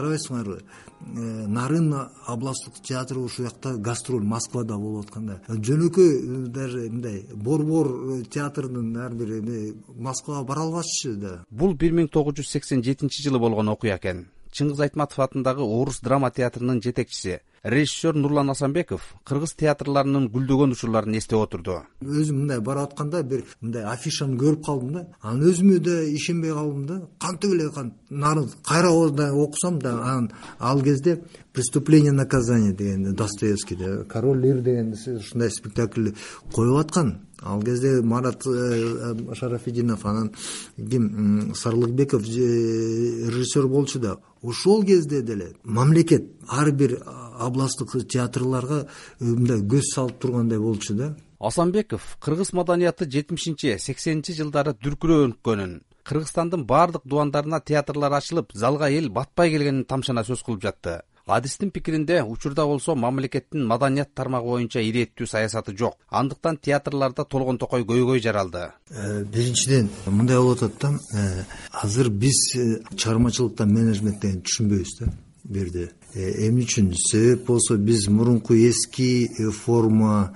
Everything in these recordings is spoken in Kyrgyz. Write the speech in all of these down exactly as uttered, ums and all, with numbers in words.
карабайсыңарбы, Нарын областтык театры ушул жакта гастроль Москвада болуп атканда жөнөкөй даже мындай борбор театрынын ар бир Москвага бара албашчы да. Бул бир миң тогуз жүз сексен жетинчи жылы болгон окуя экен. Чыңгыз Айтматов атындагы Орус драма театрынын жетекчиси, режиссер Нурлан Асанбеков кыргыз театрларынын гүлдөгөн учурларын эстеп отурду. Өзүм мындай барып атканда бир мындай афишаны көрүп калдым да. Анан өзүмө да ишенбей калдым да. Кантип эле нарын кайра окусам да, анан ал кезде «Преступление наказание» деген Достоевскийде, «Король Лир» деген ушундай спектакль коюп аткан. Ал кезде Марат Шарафидинов, анан ким Сарлыкбеков режиссер болчу да. Ошол кезде деле мамлекет ар бир областтык театрларга мындай көз салып тургандай болчу да. Асанбеков кыргыз маданияты жетимишинчи сексенинчи жылдары дүркүрөө өнүккөнүн, Кыргызстандын бардык дубандарына театрлар ачылып, залга эл батпай келгенин тамшана сөз кылып жатты. Адистин пикиринде учурда болсо мамлекеттин маданият тармагы боюнча ирээттүү саясаты жок. Андыктан театрларда толгон токой көйгөй жаралды. Биринчиден мындай болуп атат да, азыр биз чыгармачылыкта менеджменттен түшүнбөйбүз да. Берди. Эмне үчүн? Себеп болсо биз мурунку эски форма,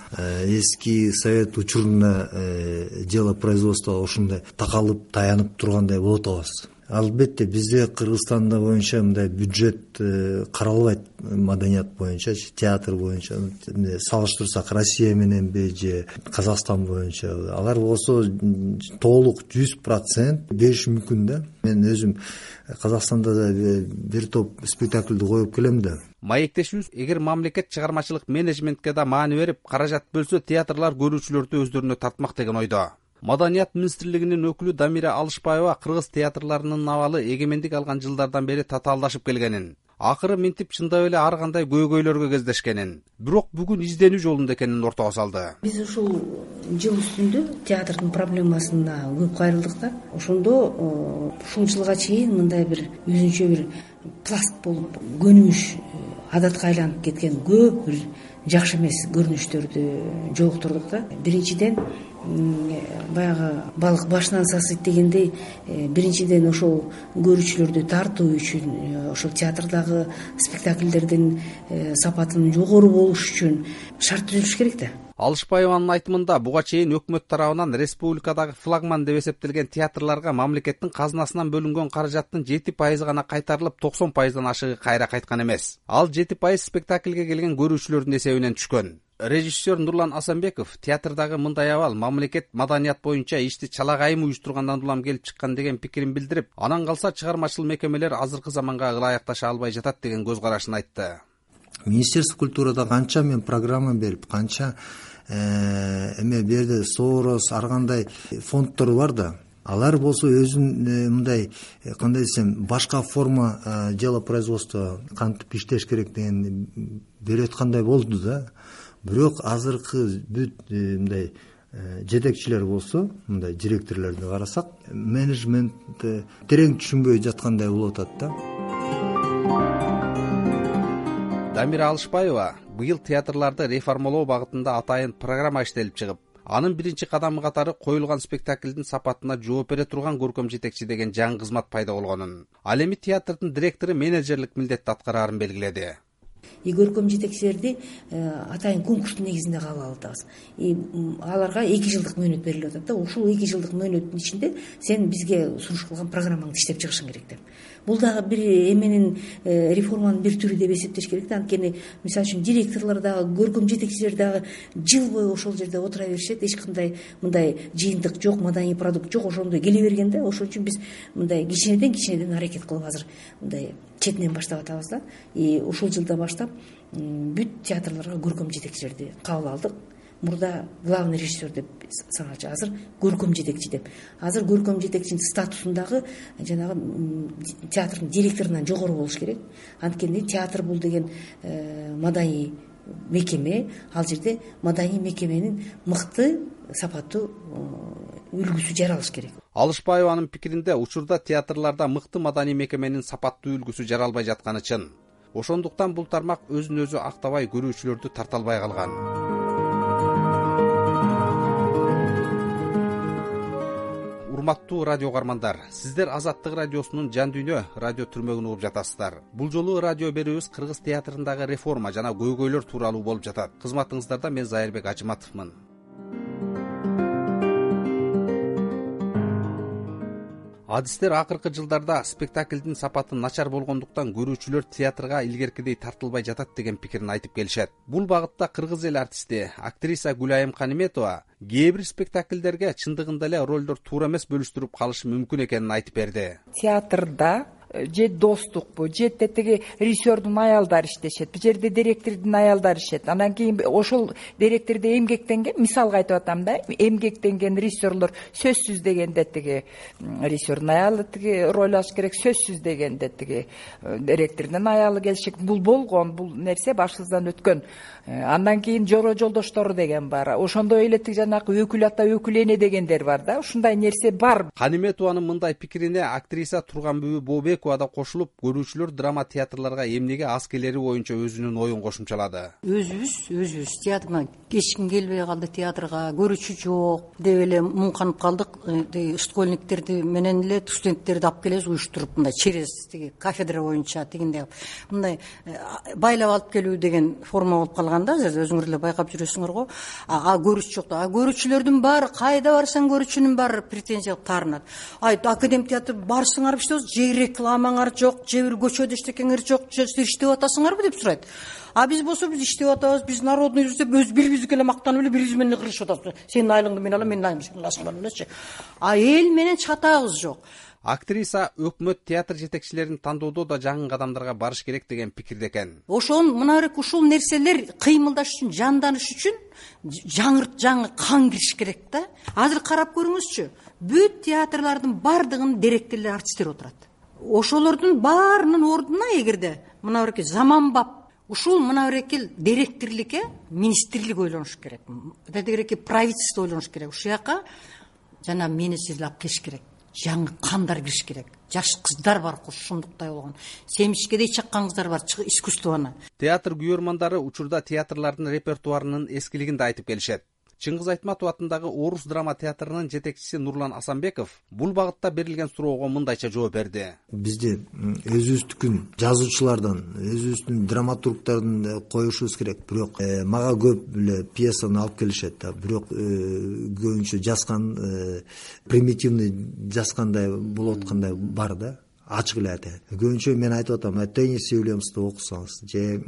эски совет учурунда дело производства ошондой такалып таянып тургандай болуп атабыз. Албетте бизде Кыргызстанда боюнча мындай бюджет каралбайт, маданият боюнча, театр боюнча салыштырсак Россия мененби же Казакстан боюнча алар болсо толук жүз процент бериш мүмкүн да. Мен өзүм Казакстанда да бир топ спектакльди коюп келем да. Маектешибиз, эгер мамлекет чыгармачылык менеджментке да маани берип, каражат бөлсө, театрлар көрүүчүлөрдү өздөрүнө тартмак деген ойдо. Маданият министрлигинин өкүлү Дамира Алышбаева кыргыз театрларынын абалы эгемендик алган жылдардан бери татаалдашып келгенин, акыры минтип чындап эле ар кандай көйгөйлөргө кездешкенин, бирок бүгүн изденүү жолунда экенин ортого салды. Биз ушул жыл үстүндө театрдын проблемасына көп кайрылдык да. Ошондо ушул жылга чейин мындай бир өзүнчө бир пласт болуп көнүмүш адатка айланып кеткен көп бир жакшы эмес көрүнүштөрдү жолуктурдук да. Биринчиден баягы балык башынан сасыйт дегендей, биринчиден ошол көрүүчүлөрдү тартуу үчүн, ошол театрдагы спектакльдердин сапатынын жогору болуш үчүн шарт түзүлүш керек да. Алышбаеванын айтымында буга чейин өкмөт тарабынан республикадагы флагман деп эсептелген театрларга мамлекеттин казынасынан бөлүнгөн каражаттын жети пайызы гана кайтарылып, токсон пайыздан ашыгы кайра кайткан эмес. Ал жети пайыз спектакльге келген көрүүчүлөрдүн эсебинен түшкөн. Режиссер Нурлан Асанбеков театрдагы мындай абал мамлекет маданият боюнча ишти чалагайым уюштургандан улам келип чыккан деген пикирин билдирип, анан калса чыгармачыл мекемелер азыркы заманга ылайыкташа албай жатат деген көз карашын айтты. Министерство культурада канча мен программа берип, канча эме берди, Сорос, ар кандай фонддор бар да. Алар болсо өзүн мындай кандай десем, башка форма дело производства кантип иштеш керек деген берип аткандай болду да. Бирок азыркы бүт мындай жетекчилер болсо, мындай директорлорду карасак, менеджмент терең түшүнбөй жаткандай болуп атат да. Дамира Алышбаева быйыл театрларды реформалоо багытында атайын программа иштелип чыгып, анын биринчи кадамы катары коюлган спектакльдин сапатына жооп бере турган көркөм жетекчи деген жаңы кызмат пайда болгонун, ал эми театрдын директору менеджерлик милдетти аткараарын белгиледи. И көркөм жетекчилерди атайын конкурстун негизинде кабыл алабыз. И аларга эки жылдык мөөнөт берилип атат да. Ушул эки жылдык мөөнөттүн ичинде сен бизге сунуш кылган программаңды иштеп чыгышың керек деп. Бул дагы бир эменин реформанын бир түрү деп эсептеш керек да. Анткени мисалы үчүн директорлор дагы, көркөм жетекчилер дагы жыл бою ошол жерде отура беришет. Эч кандай мындай жыйынтык жок, маданий продукт жок, ошондой келе берген да. Ошон үчүн биз мындай кичинеден кичинеден аракет кылып азыр мындай четинен баштап атабыз да. И ушул жылда баштап бүт театрларга көркөм жетекчилерди кабыл алдык. Мурда главный режиссер деп саналчу, азыр көркөм жетекчи деп. Азыр көркөм жетекчинин статусундагы жанагы театрдын директорунан жогору болуш керек. Анткени театр бул деген маданий мекеме, ал жерде маданий мекеменин мыкты, сапаттуу үлгүсү жаралыш керек. Алышбаеванын пикиринде учурда театрларда мыкты маданий мекеменин сапаттуу үлгүсү жаралбай жатканы чын. Ошондуктан бул тармак өзүн өзү актабай көрүүчүлөрдү тарта албай калган. урматтуу радио каармандар, сиздер Азаттык радиосунун Жан дүйнө радио түрмөгүн угуп жатасыздар. Бул жолу радио берүүбүз кыргыз театрындагы реформа жана көйгөйлөр тууралуу болуп жатат. Кызматыңыздарда мен Зайырбек Ажыматовмун. Адистер акыркы жылдарда спектаклдин сапаты начар болгондуктан көрүүчүлөр театрга илгеркидей тартылбай жатат деген пикирин айтып келишет. Бул багытта кыргыз эл артисти, актриса Гүлайым Каниметова кээ бир спектаклдерге чындыгында эле ролдор туура эмес бөлүштүрүп калышы мүмкүн экенин айтып берди. Театрда же достукпу, же тетиги режиссердун аялдары иштешет, бул жерде директордун аялдары иштешет. Анан кийин ошол директорде эмгектенген, мисалга айтып атам да, эмгектенген режиссерлор сөзсүз дегенде тиги режиссердун аялы тиги роль алыш керек, сөзсүз дегенде тиги директордун аялы келишек. Бул болгон, бул нерсе башыбыздан өткөн. Андан кийин жоро жолдоштору деген бар. Ошондой эле тиги жанагы өкүл ата, өкүл эне дегендер бар да. Ушундай нерсе бар. Каниметованын мындай пикирине актриса Турганбүбү Бообекова да кошулуп, көрүүчүлөр драма театрларга эмнеге аз келери боюнча өзүнүн оюн кошумчалады. Өзүбүз, өзүбүз театрга эч ким келбей калды, театрга көрүүчү жок деп эле муңканып калдык. Школьниктерди менен эле студенттерди алып келебиз, уюштуруп мындай через тиги кафедра боюнча тигиндей мындай байлап алып келүү деген форма болуп калган да. Өзүңөр эле байкап жүрөсүңөр го. А көрүүчү жок да. А көрүүчүлөрдүн баары, кайда барсаң көрүүчүнүн баары претензия таарынат. Ай, академ театр барсыңар иштебиз, же рекламаңар жок, же бир көчөдө иштекеңер жок, же иштеп атасыңарбы деп сурайт. А биз болсо биз иштеп атабыз, биз народныйбыз деп өз бирибизге эле мактанып эле бири биз менен кырышып атабыз. Сенин айлыгыңды мен алам, менин айлыгымды аласың элечи. А эл менен чатагыбыз жок. Актриса өкмөт театр жетекчилерин тандоодо да жаңы кадамдарга барыш керек деген пикирде экен. Ошол мына берек ушул нерселер кыймылдаш үчүн, жанданыш үчүн жаңырт жаңы кан кириш керек да. Азыр карап көрүңүзчү, бүт театрлардын бардыгынын директорлор, артисттер отурат. Ошолордун баарынын ордуна эгерде мына берек заманбап ушул мына берек директорлукке министрлик ойлонуш керек. Дегереки правительство ойлонуш керек. Ушул жака жана менеджерлер алып келиш керек. Жаңы кандар кириш керек. Жаш кыздар бар, кошумдуктай болгон. Семишкедей чаккан кыздар бар, искусствону. Театр күйөрмандары учурда театрлардын репертуарынын эскилигин да айтып келишет. Чыңгыз Айтматов атындагы Орус драма театрынын жетекчиси Нурлан Асанбеков бул багытта берилген суроого мындайча жооп берди. Бизде өзүбүздүкүн жазуучулардан, өзүбүздүн драматургдордун коюшубуз керек. Бирок мага көп эле пьесаны алып келишет да. Бирок көбүнчө жазган примитивный жазгандай болуп аткандай бар да. Ачык эле айта. Көбүнчө мен айтып атам, Тенниси Уильямсты окусаңыз, же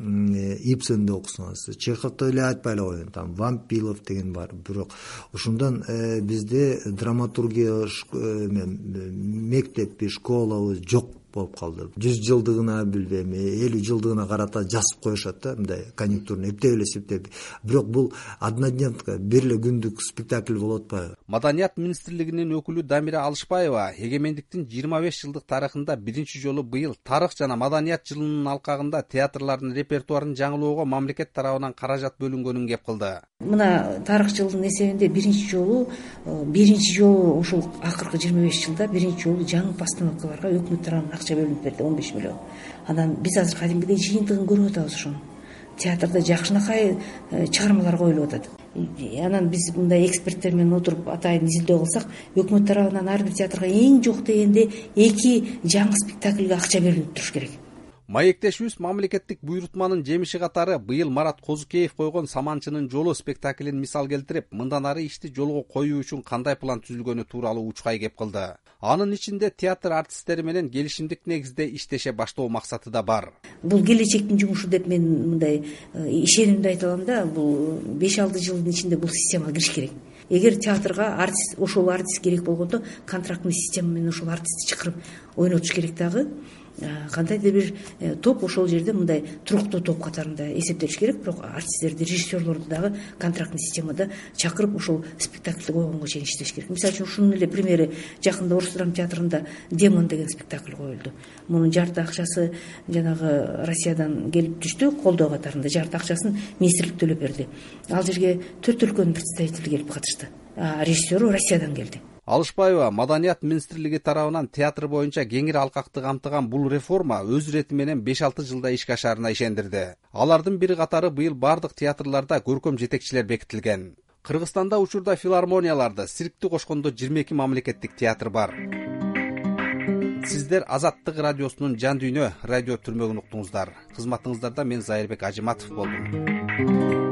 Ибсенди окусаңыз, Чеховду эле айтпай эле коеюн, там Вампилов деген бар. Бирок ошондон бизде драматургия мектепи, школабыз жок болуп калды. жүз жылдыгына билбейм, элүү жылдыгына карата жазып коюшат да, мындай конъюнктурну эптеп эле септеп. Бирок бул однодневка, бир эле күндүк спектакль болуп атпайбы? Маданият министрлигинин өкүлү Дамира Алышбаева эгемендиктин жыйырма беш жылдык тарыхында биринчи жолу быйыл тарых жана маданият жылынын алкагында театрлардын репертуарын жаңылоого мамлекет тарабынан каражат бөлүнгөнүн кеп кылды. Мына тарых жылдын эсебинде биринчи жолу биринчи жолу ушул акыркы жыйырма беш жылда биринчи жолу жаңы постановкаларга өкмөт тарабынан акча бөлүнүп берди, он беш миллион. Анан биз азыр кадимгидей жыйынтыгын көрүп атабыз ошону. Театрда жакшынакай чыгармалар коюлуп атат. Анан биз мындай эксперттер менен отуруп атайын изилдөө кылсак, өкмөт тарабынан ар бир театрга эң жок дегенде эки жаңы спектакльге акча берилип туруш керек. Маектешибиз мамлекеттик буйрутманын жемиши катары быйыл Марат Козукеев койгон Саманчынын жолу спектаклин мисал келтирип, мындан ары ишти жолго коюу үчүн кандай план түзүлгөнү тууралуу учкай кеп кылды. Анын ичинде театр артисттери менен келишимдик негизде иштеше баштоо максаты да бар. Бул келечектин жумушу деп мен мындай ишенимди айта алам да, бул беш алты жылдын ичинде бул система кириш керек. Эгер театрга артист, ошол артист керек болгондо контрактный система менен ошол артистти чакырып ойнотуш керек дагы. Кандайдыр бир топ ошол жерде мындай туруктуу топ катарында эсептелиш керек. Бирок артисттерди, режиссерлорду дагы контрактный системада чакырып ошол спектакльди койгонго чейин иштеш керек. Мисалы үчүн ушунун эле примери жакында Орус драма театрында Демон деген спектакль коюлду. Мунун жарты акчасы жанагы Россиядан келип түштү, колдоо катарында жарты акчасын министрлик төлөп берди. Ал жерге төрт өлкөнүн представители келип катышты. А режиссеру Россиядан келди. Алышбаева Маданият министрлиги тарабынан театр боюнча кеңири алкакты камтыган бул реформа өз ирети менен беш алты жылда ишке ашаарына ишендирди. Алардын бири катары быйыл бардык театрларда көркөм жетекчилер бекитилген. Кыргызстанда учурда филармонияларда, циркти кошкондо жыйырма эки мамлекеттик театр бар. Сиздер Азаттык радиосунун Жан дүйнө радио түрмөгүн уктуңуздар. Кызматыңыздарда мен Зайырбек Ажыматов болдум.